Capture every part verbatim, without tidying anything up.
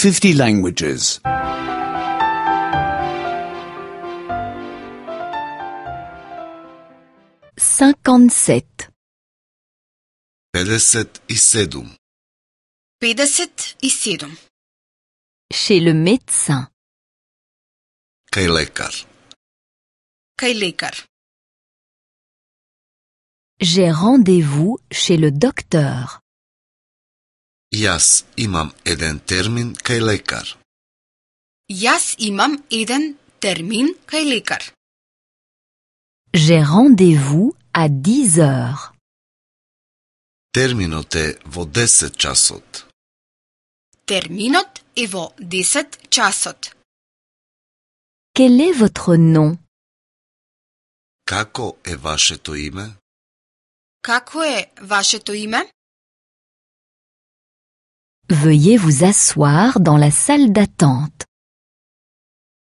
fifty languages. cinquante-sept. pedeset i sedam. pedeset i sedam. Chez le médecin. Kaj lekar. Kaj lekar. J'ai rendez-vous chez le docteur. Jaz imam eden termin kaj lekar. Jaz imam eden termin kaj lekar. J'ai rendez-vous à dix heures. Terminot je vo deset časot. Terminot je vo deset časot. Quel est votre nom? Kako je vašето ime? Kako je vašето ime? Veuillez vous asseoir dans la salle d'attente.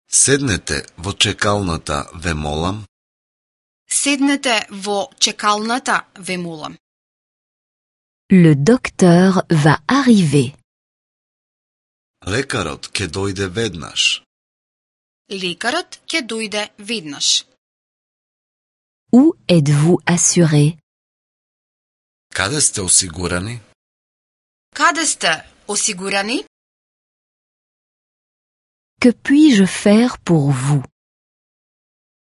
Седнете во чекалната, ве молам. Седнете во чекалната, ве молам. Le docteur va arriver. Лекарот ќе дојде веднаш. Лекарот ќе дојде веднаш. Où êtes-vous assuré? Каде сте осигурани? Каде сте осигурани? Que puis-je faire pour vous?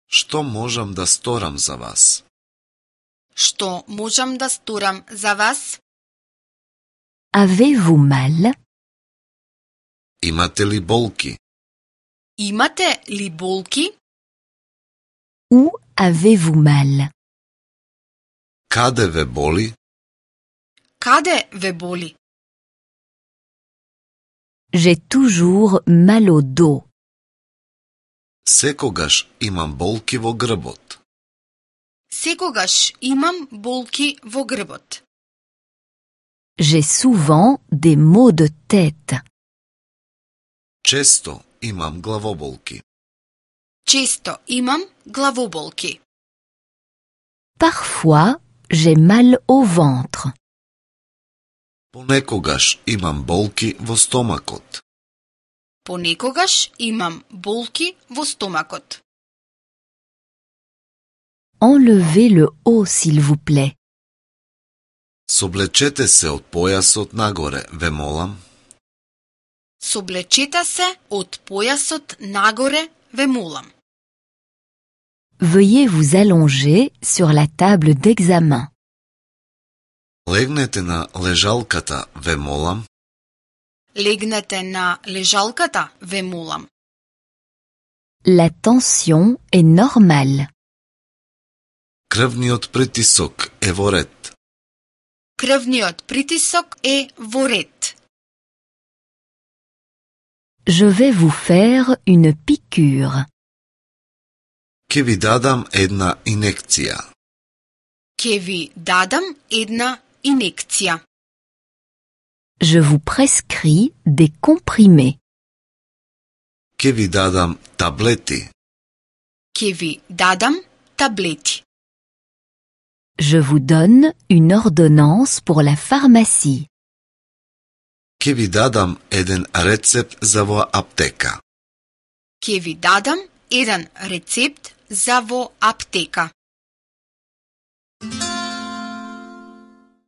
Што можам да сторам за вас? Што можам да сторам за вас? Avez-vous mal? Имате ли болки? Имате ли болки? Où avez-vous mal? Каде ве боли? Каде ве боли? J'ai toujours mal au dos. Секогаш имам болки во грбот. Секогаш имам болки во грбот. J'ai souvent des maux de tête. Често имам главоболки. Често имам главоболки. Parfois, j'ai mal au ventre. Понекогаш имам болки во стомакот. Понекогаш имам болки во стомакот. Enlevez le haut, s'il vous plaît. Соблечете се од појасот нагоре, ве молам. Соблечете се од појасот нагоре, ве молам. Veuillez vous allonger sur la table d'examen. Легнете на лежалката, ве молам. Легнете на лежалката, ве молам. La tension est normale. Крвниот притисок е во ред. Крвниот притисок е во ред. Je vais vous faire une piqûre. Ке ви дадам една инекција. Ке ви дадам една инекција. Je vous prescris des comprimés. Ке ви дадам таблети. Ке ви дадам таблети. Je vous donne une ordonnance pour la pharmacie. Ке ви дадам еден рецепт за во аптека. Ке ви дадам еден рецепт за во аптека.